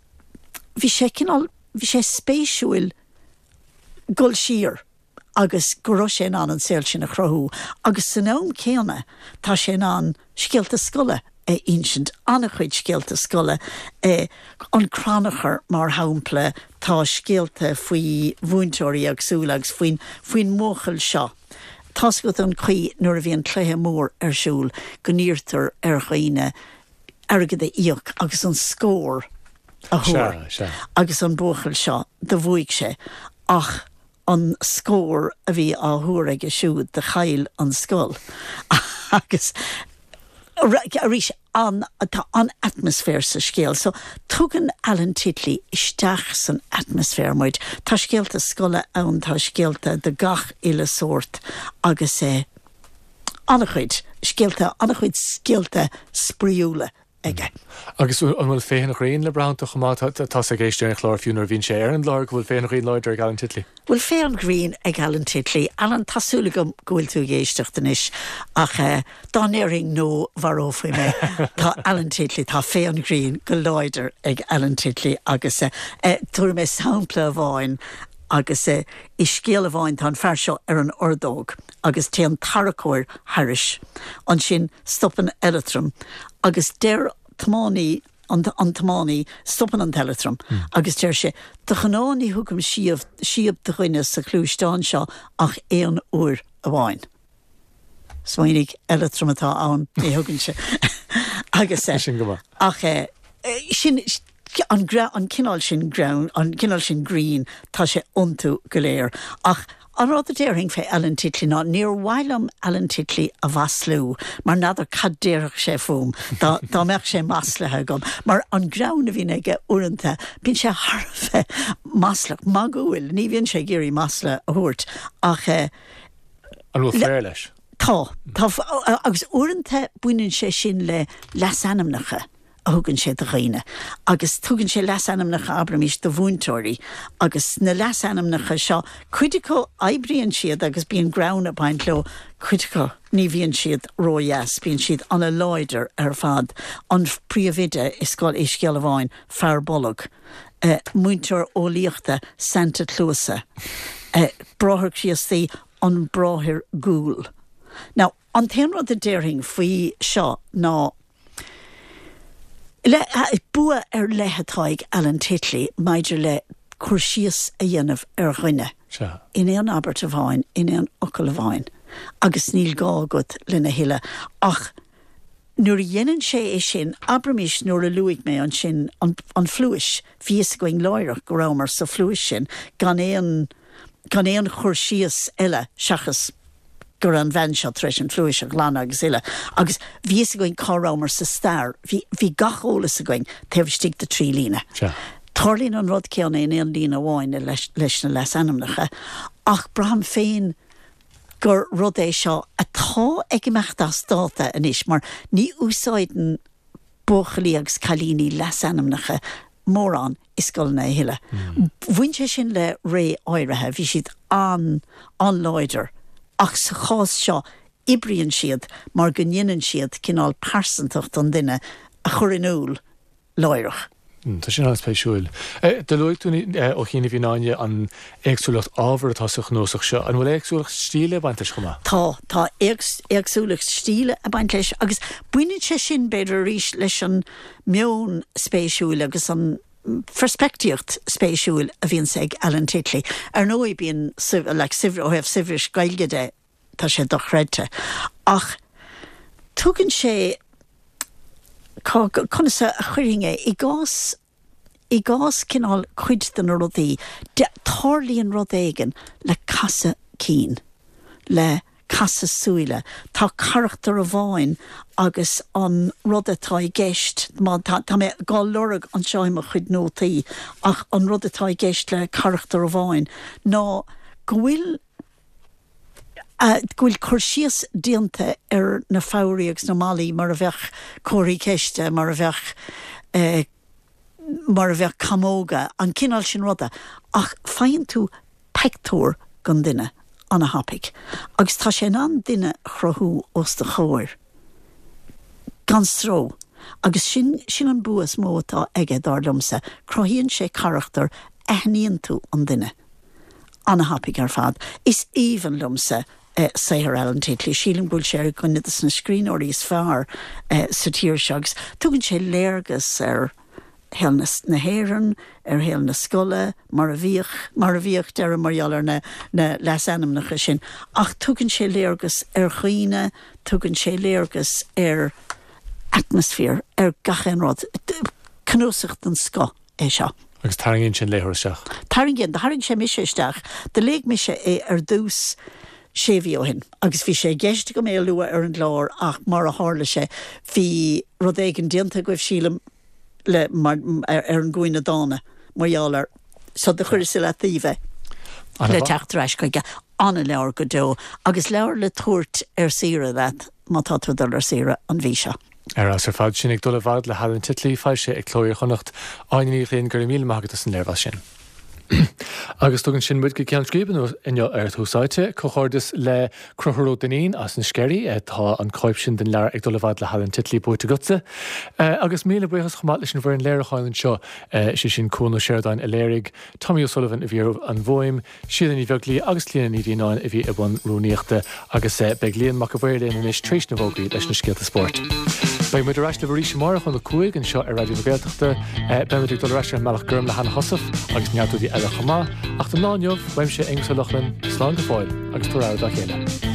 bhí sé cineál, bhí sé spéisiúil dul siar agus go raibh sé in ann an saol sin a chruthú agus san am céanna tá sé in ann scéalta scoile. a insint, an-chuid scéalta scoile, an crannchur mar shampla, tá scéalta faoi mhúinteoirí éagsúla agus faoin, faoin mbuachaill seo. Tá's agat an chaoi nuair a bhíonn cluiche mór ar siúl go n-iarrtar ar dhaoine airgead a íoc agus an scór a thuar agus an buachaill seo, do bhuaigh sé ach an scór a bhí á thuar aige siúd do chaill an scoil agus arís an tá an atmaisféar sa scéal so tugann Alan Titley isteach san atmaisféar muid. Tá scéalta scoile ann, tá scéalta de gach uile sórt agus eh an-chuid scéalta, an-chuid scéalta spraíúla aige. Agus an bhfuil féith an ghrinn le brath iontu chomh maith? Tá's ag éisteoirí an chláir fiú nuair a bhíonn sé ar an láthair go bhfuil féith an ghrinn láidir ag Alan Titley. Bhfuil féith an ghrinn ag Alan Titley? Alan, tá súil agam go bhfuil tú ag éisteacht anois ach dá ndéarfainn no mharófaí mé. Tá Alan Titley, tá féith an ghrinn go láidir ag Alan Titley agus tabharfaidh mé sampla amháin agus i scéal amháin tá an fear seo ar an ordóg agus téann tarracóir thairis. Ansin stopann eileatram agus deir tiománaí an an tiománaí, stopann an t-eileatram agus deir sé, De ghnáth ní thugaim síob síob do dhuine sa ghluaisteán seo ach aon uair amháin. Smaoinigh, eileatram atá ann, ní thugann sé agus Sin go maith. ach sin an an cineál sin greann, an cineál sin grinn, tá sé iontu go léir. Ach an rud a déarfainn fé Alan Titley ná níor mhaith liom Alan Titley a mhaslú mar n'fheadar cad déarfadh sé fúm dá dá mbeadh sé maslaithe agam. Mar an greann a bhíonn aige uaireanta, bíonn sé thar a bheith maslach, magúil, ní bhíonn sé ag iarraidh masla a thabhairt ach eh. An bhfuil flair leis? Tá, tá, agus uaireanta baineann sé sin le leasainmneacha. a thugann sé do dhaoine agus tugann sé leasainmneacha, abraimis, do mhúinteoirí agus na leasainmneacha seo, cuid acu oibríonn siad agus bíonn greann ag baint leo, cuid acu ní bhíonn siad ródheas, bíonn siad ana-láidir ar fad. An príomhoide i scoil, i scéal amháin, fear bolg, múinteoir eolaíochta, Santa Cluasa, bráthair Críostaí, an bráthair Gúl. Now, an t-aon rud a déarfainn faoi seo ná, Le, bua ar leith atá ag Alan Titley maidir le cur síos a dhéanamh ar dhuine in aon abairt amháin, in aon fhocal amháin, agus níl gá agat lena thuilleadh. Ach nuair a dhéanann sé é sin, abraimis nuair a luaigh mé ansin an, an phluais, bhí fhios againn láithreach go rabhamar sa phluais sin gan aon, gan aon chur síos eile seachas go raibh an bhean seo tar éis an phluais a ghlanadh agus uile, agus bhí fhios againn cá rabhamar sa stair, bhí, bhí gach eolas againn taobh istigh de thrí líne. Sea. Tarlaíonn an rud céanna in aon líne amháin leis, leis na leasainmneacha, ach braithim féin gur rud é seo atá ag imeacht as dáta anois mar ní úsáideann buachaillí agus cailíní leasainmneacha mórán i scoileanna a thuilleadh. Bhain sé sin le ré áirithe, bhí siad an-an-láidir ach sa chás seo oibríonn siad mar go ndéanann siad cineál pearsantacht an duine a chur in iúl láithreach. Tá sin an-spéisiúil. Do luaigh tú ó chianaibh a Áine an éagsúlacht ábhar atá sa chnuasach seo. An bhfuil éagsúlacht stíle ag baint leis chomh maith? Tá, tá éagsúlacht stíle ag baint leis agus baineann sé sin b'fhéidir arís leis an meon spéisiúil agus an pheirspictíocht spéisiúil a bhíonns ag Alan Titley. Ar ndóigh bíonn like ó thaobh saibhris Gaeilge de, tá sé dochreidte. Ach tugann sé, cá, conas a chuirfinn é, i gcás, i gcás cineál cuid de na rudaí, de, tarlaíonn rud éigin le casadh cinn, le casadh súile. Tá carachtar amháin agus an rud atá i gceist, má, tá, tá mé dhá lorg anseo i mo chuid nótaí, ach an rud atá i gceist le carachtar amháin ná go bhfuil, go bhfuil cur síos déanta ar na fabhraí agus na malaí mar a bheadh comharthaí ceiste, mar a bheadh, mar a bheadh camóga, an cineál sin ruda, ach faigheann tú peictiúr den duine ana-thapaidh agus tá sé in ann duine a chruthú os do chomhair gan stró agus sin, sin an bua is mó atá aige, dar liomsa, cruthaíonn sé carachtar, aithníonn tú an duine. Ana-thapaidh ar fad. Is aoibhinn liomsa. saothar Alan Titley. Sílim go bhfuil sé ar dhuine de na scríbhneoirí is fearr sa tír seo agus tugann sé léargas ar shaol na hÉireann, ar shaol na scoile, mar a bhíodh, mar a bhíodh, deirim mar gheall ar na na leasainmneacha sin, ach tugann sé léargas ar dhaoine, tugann sé léargas ar atmaisféar, ar gach aon rud. Cnuasach den scoth é seo. Agus tarraingíonn sé an léitheoir isteach. Tarraingíonn. Do tharraing sé mise isteach. Do léigh mise é ar dtús sé mhí ó shin agus bhí sé i gceist agam é a lua ar an gclár ach mar a tharla sé bhí rud éigin déanta agaibh, sílim, le, mar, ar an gcúinne dána mar gheall air so do chuireas i leataobh é le teacht ar ais chuige. An-leabhar go deo agus leabhar le tabhairt ar saoire leat má tá tú ag dul ar saoire an mhí seo. Ar fheabhas ar fad. Sin Ag Dul i bhFad le hAlan Titley, foilsithe ag Cló Iar-Chonnacht. Áine Ní Ghlinn, go raibh míle maith agat as an léirmheas sin. Agus tugann sin muid go ceann scríbe inniu ar Tús Áite. Comhghairdeas le Conchúr Ó Duinnín as na Sceirí. Tá an cóip sin den leabhar Ag Dul i bhFad le hAlan Titley buaite agatsa. Agus míle buíochas chomh maith leis an bhfoireann léiriúcháin anseo, sé sin Cuan Ó Seireadáin a léirigh, Tommy O'Sullivan a bhí ar an bhfuaim, Síle Ní Bheaglaoi agus Clíona Ní Mhianáin a bhí i mbun rúnaíochta agus beidh Liam Mac a' Mhaoir linn anois tar éis na bhfógraí leis na scéalta spóirt. Beidh muid ar ais libh arís amárach óna 5 anseo ar Raidió na Gaeltachta. Beidh muid ag dul ar ais ar an mBealach Gorm le Hannah Heussaff agus neart rudaí eile chomh maith. Ach don lá inniu, uaimse Aonghus Ó Lochlainn, slán go fóill agus tabhair aire dá chéile.